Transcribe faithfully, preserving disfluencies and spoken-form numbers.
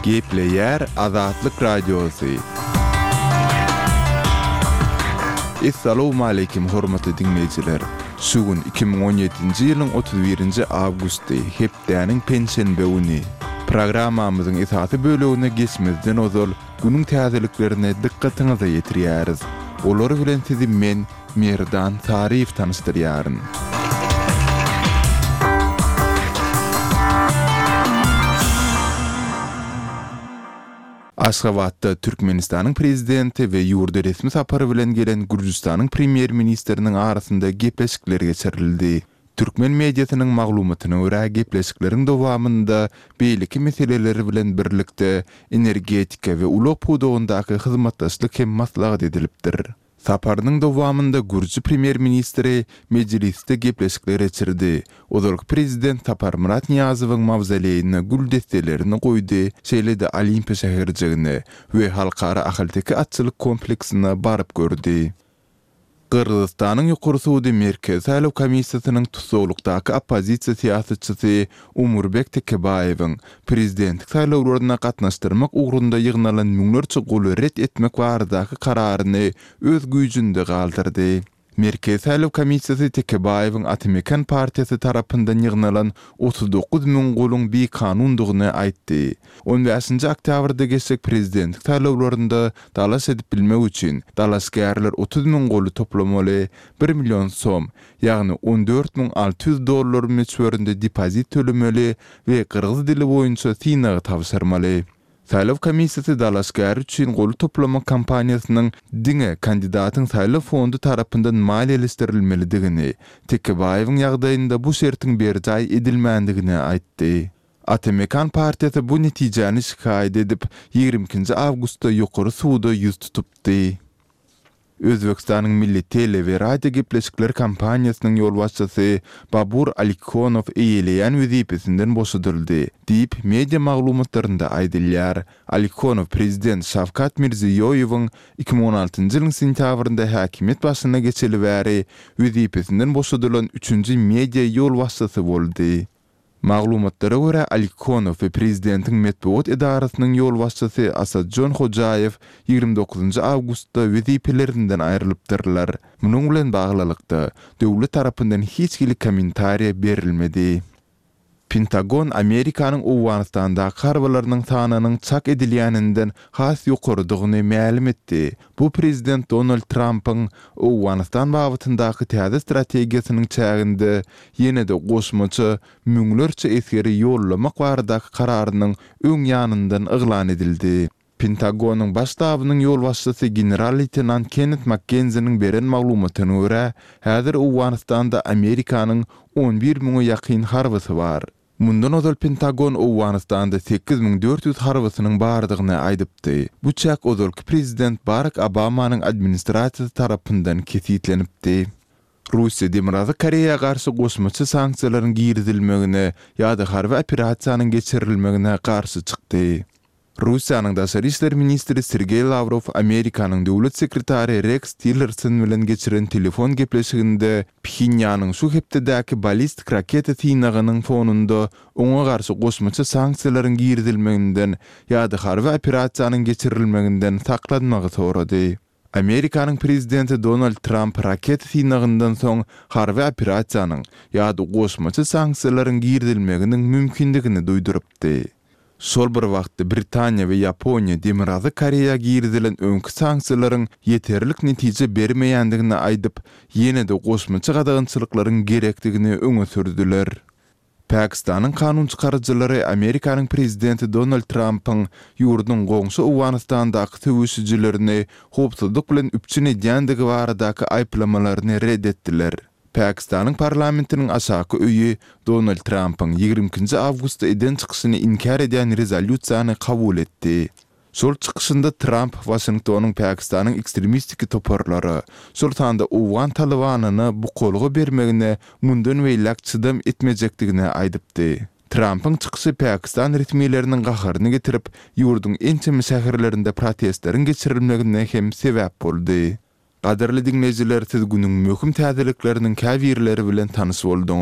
Gepleýär Azatlyk Radiosy. Essalawmaleýkim hormatly diňleýjiler! Şu gün iki müň on ýedinji ýylyň otuz birinji awgusty, hepdäniň penşenbe güni. Programmamyzyň esasy bölegine geçmezden ozal, günüň täzeliklerini dykgatyňyza ýetirýäris. Olar bilen sizi men, Merdan Saryýew tanyşdyrýaryn. Aşgabatda Türkmenistanyň Prezidenti we ýurda resmi sapar bilen gelen Gürjüstanyň Premýer-ministriniň arasynda gepleşikler geçirildi. Türkmen mediasynyň maglumatyna görä, gepleşikleriň dowamynda beýleki meseleler bilen birlikde, energetika we ulag pudagyndaky hyzmatdaşlyk hem maslahat edilipdir. Saparynyň dowamynda gürji premýer-ministri Mejlisde gepleşikler geçirdi, ozalky prezident Saparmyrat Nyýazowyň mawzoleýine gül desselerini goýdy, şeýle-de Olimpiýa şäherjigine we Halkara ahalteke atçylyk kompleksine baryp gördi. Gyrgyzystanyň Ýokary sudy Merkezi saýlaw komissiýasynyň tussaglykdaky oppozisiýa syýasatçysy Umurbek Tekebaýewiň prezidentlik saýlawlaryna gatnaşdyrmak ugrunda ýygnalan müňlerçe goly ret etmek baradaky kararyny öz güýjünde galdyrdy. Merkezi saýlaw komissiýasy Tekebaýewiň Ata-Mekan partiýasy tarapyndan ýygnalan otuz dokuz müň goluň bikanundygyny aýtdy. On bäşinji oktýabrda geçjek prezidentlik saýlawlarynda dalaş edip bilmek üçin, dalaşgärler otuz müň goly toplamaly, bir million som, ýagny on dört müň alty ýüz dollar möçberinde depozit tölemeli we gyrgyz dili boýunça synagy tabşyrmaly. Saýlaw komissiýasy dalaşgär üçin goly toplamak kampaniýasynyň diňe kandidatyň saýlaw fondy tarapyndan maliýeleşdirilmelidigini, Tekebaýewiň ýagdaýynda bu şertiň berjaý edilmändigini aýtdy. Ata-Mekan partiýasy bu netijäni şikaýat edip, ýigrimi ikinji awgustda Ýokary suda ýüz tutupdy. Özbegistanyň Milli tele we radio gepleşikler kompaniýasynyň ýolbaşçysy Babur Alikhonow eýeleýän wezipesinden boşadyldy, diýip, media maglumatlarynda aýdylýar. Alikhonow prezident Şawkat Mirziýoýewiň iki müň on altynjy ýylyň sentýabrynda häkimiýet başyna geçeli bäri wezipesinden boşadylan üçünji media ýolbaşçysy boldy. Maglumatlara görä, Alikhonow we prezidentiň metbugat edarasynyň ýolbaşçysy Asadjon Hojaýew ýigrimi dokuzynjy awgustda wezipelerinden aýrylypdyrlar. Munuň bilen baglylykda, döwlet tarapyndan hiç hili kommentariýa berilmedi. Pentagon Amerikanyň Owganystandaky harbylarynyň sanynyň çak edilýäninden has ýokarydygyny mälim etdi. Bu prezident Donald Trampyň Owganystan babatyndaky täze strategiýasynyň çäginde ýene-de goşmaça müňlerçe esgeri ýollamak baradaky kararynyň öň ýanyndan yglan edildi. Pentagonyň Baş ştabynyň ýolbaşçysy general-leýtenant Kennet Makkenziniň beren maglumatyna görä, häzir Owganystanda Amerikanyň on bir müňe ýakyn harbysy bar. Mundan ozal Pentagon Owganystanda sekiz müň dört ýüz harbysynyň bardygyny aýdypdy. Bu çäk ozalky prezident Barak Obamanyň administrasiýasy tarapyndan kesgitlenipdi. Russiýa Demirgazyk Koreýa garşy goşmaça sanksiýalaryň girizilmegine ýa-da harby operasiýanyň geçirilmegine garşy çykdy. Russiýanyň daşary işler ministri Sergeý Lawrow Amerikanyň döwlet sekretary Reks Tillerson bilen geçiren telefon gepleşiginde Phenýanyň şu hepdedäki ballistik raketa synagynyň fonunda oňa garşy goşmaça sanksiýalaryň girizilmeginden ýa-da harby operasiýanyň geçirilmeginden saklanmagy sorady. Amerikanyň prezidenti Donald Tramp raketa synagyndan soň harby operasiýanyň ýa-da goşmaça sanksiýalaryň girizilmeginiň mümkindigini duýdurypdy. Şol bir wagtda Britaniýa we Ýaponiýa Demirgazyk Koreýa girizilen öňki sanksiýalaryň ýeterlik netije bermeýändigini aýdyp, ýene-de goşmaça gadagançylyklaryň gerekdigini öňe sürdüler. Pakistanyň kanun çykaryjylary Amerikanyň prezidenti Donald Trampyň ýurduň goňşy Owganystandaky söweşijilerini howpsuzlyk bilen üpjün edýändigi baradaky aýyplamalaryny ret etdiler. Pakistanyň parlamentiniň aşaky öýi Donald Trampyň ýigrimi ikinji awgustda eden çykyşyny inkär edýän rezolýusiýany kabul etdi. Şol çykyşynda Tramp Waşingtonyň Pakistanyň ekstremistik toparlara, şol sanda owgan Talybanyna bukalga bermegine mundan beýläk çydam etmejekdigini aýdypdy. Trampyň çykyşy pakistan resmileriniň gaharyny getirip, ýurduň ençeme şäherlerinde protestleriň geçirilmegine hem sebäp boldy. Gadyrly diňleýjiler siz günüň möhüm täzelikleriniň käbirleri bilen tanyş bolduňyz.